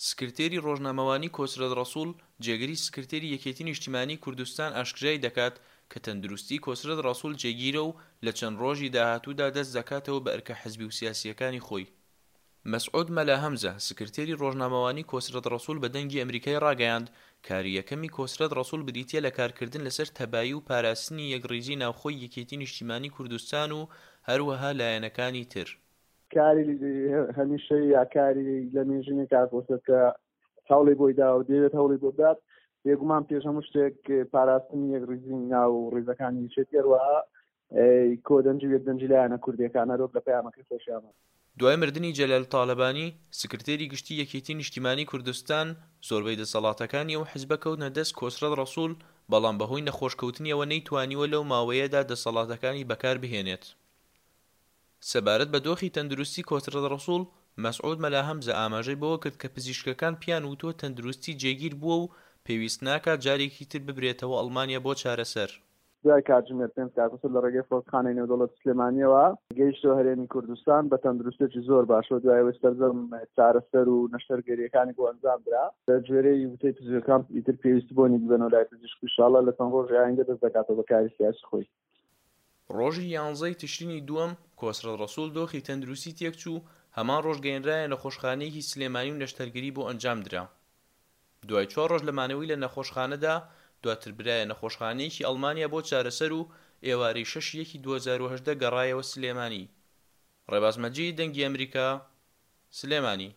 سکرتێری ڕۆژنامەوانی کۆسرەت ڕەسوڵ، جێگری سکرتێری یەکێتی نیشتیمانی کوردستان ئاشکرای دەکات کە تەندروستی کۆسرەت ڕەسوڵ جێگیرە و لە چەند ڕۆژی داهاتوودا دەست دەکاتەوە بە ئەرکە حزبی و سیاسییەکانی خۆی. مەسعود مەلا هەمزە، سکرتێری ڕۆژنامەوانی کۆسرەت ڕەسوڵ بە دەنگی ئەمریکای ڕاگەیاند، کاری یەکەمی کۆسرەت ڕەسوڵ بریتییە لە کارکردن لەسەر تەبایی و پاراستنی یەکڕیزی ناوخۆی یەکێتی نیشتیمانی کوردستان و هەروەها لایەنەکانی تر. کاری هەمیشەیی یا کاری لە مێژینەی کاک کۆسرەت کە هەوڵی بۆی دا و دەیەوێت هەوڵی بۆ بدات بێگومان پێش هەموو شتێک پاراستنی یەکڕیزی ناو ڕیزەکانی یەکێتی هەروەها کۆدەنگی و یەکدەنگی لایەنە کوردیەکان هەروەک لە پەیامەکەی خۆشیانە. دوای مردنی جەلال تالەبانی، سکرتێری گشتی یەکێتی نیشتیمانی کوردستان، زۆربەی دەسەڵاتەکانی ئەو حزبە کەوتنە دەست کۆسرەت ڕەسوڵ، بەڵام بەهۆی نەخۆشکەوتنیەوە نەیتوانیوە لەو ماوەیەدا دەسەڵاتەکانی بەکار بهێنێت. سەبارەت بە دۆخی تەندروستی کۆسرەت ڕەسوڵ، مەسعود مەلا هەمزە ئاماژەی بەوە کرد کە پزیشکەکان پیان وتووە تەندروستی جێگیر بووە و پێویست ناکات جارێکی تر ببرێتەوە ئەڵمانیا بۆ چارەسەر. دوای کاتژمێر پێنج کاکۆسرەت لە ڕێگەی فڕۆکەخانەی نێودەوڵەتی سلێمانییەوە گەیشتەوە هەرێمی کوردستان بە تەندروستییەکی زۆر باشەوە دوای ئەوەی سەرجەم چارەسەر و نەشتەرگەرییەکانی بۆ ئەنجام درا. بە گوێرەی وتەی پزیشکەکان ئیتر پێویستی بۆ نییە بیبەنەوە لای پزیشک و ئیشاڵڵا لە چەند ڕۆژی ئایندە دەست دەکاتەوە بە کاری سیاسی خۆی. ڕۆژی یانزەی تشرینی دووەم، کۆسرەت ڕەسوڵ دۆخی تەندروستی تێکچوو، هەمان ڕۆژ گەیەنرایە نەخۆشخانەیەکی سلێمانی و نەشتەرگەری بۆ ئەنجامدرا. دوای چوار ڕۆژ لە مانەوەی لە نەخۆشخانەدا، دواتر برایە نەخۆشخانەیەکی ئەڵمانیا بۆ چارەسەر و ئێوارەی شەش یەکی 2018 گەڕایەوە سلێمانی. ڕێباز مەجید، دەنگی ئەمریکا، سلێمانی.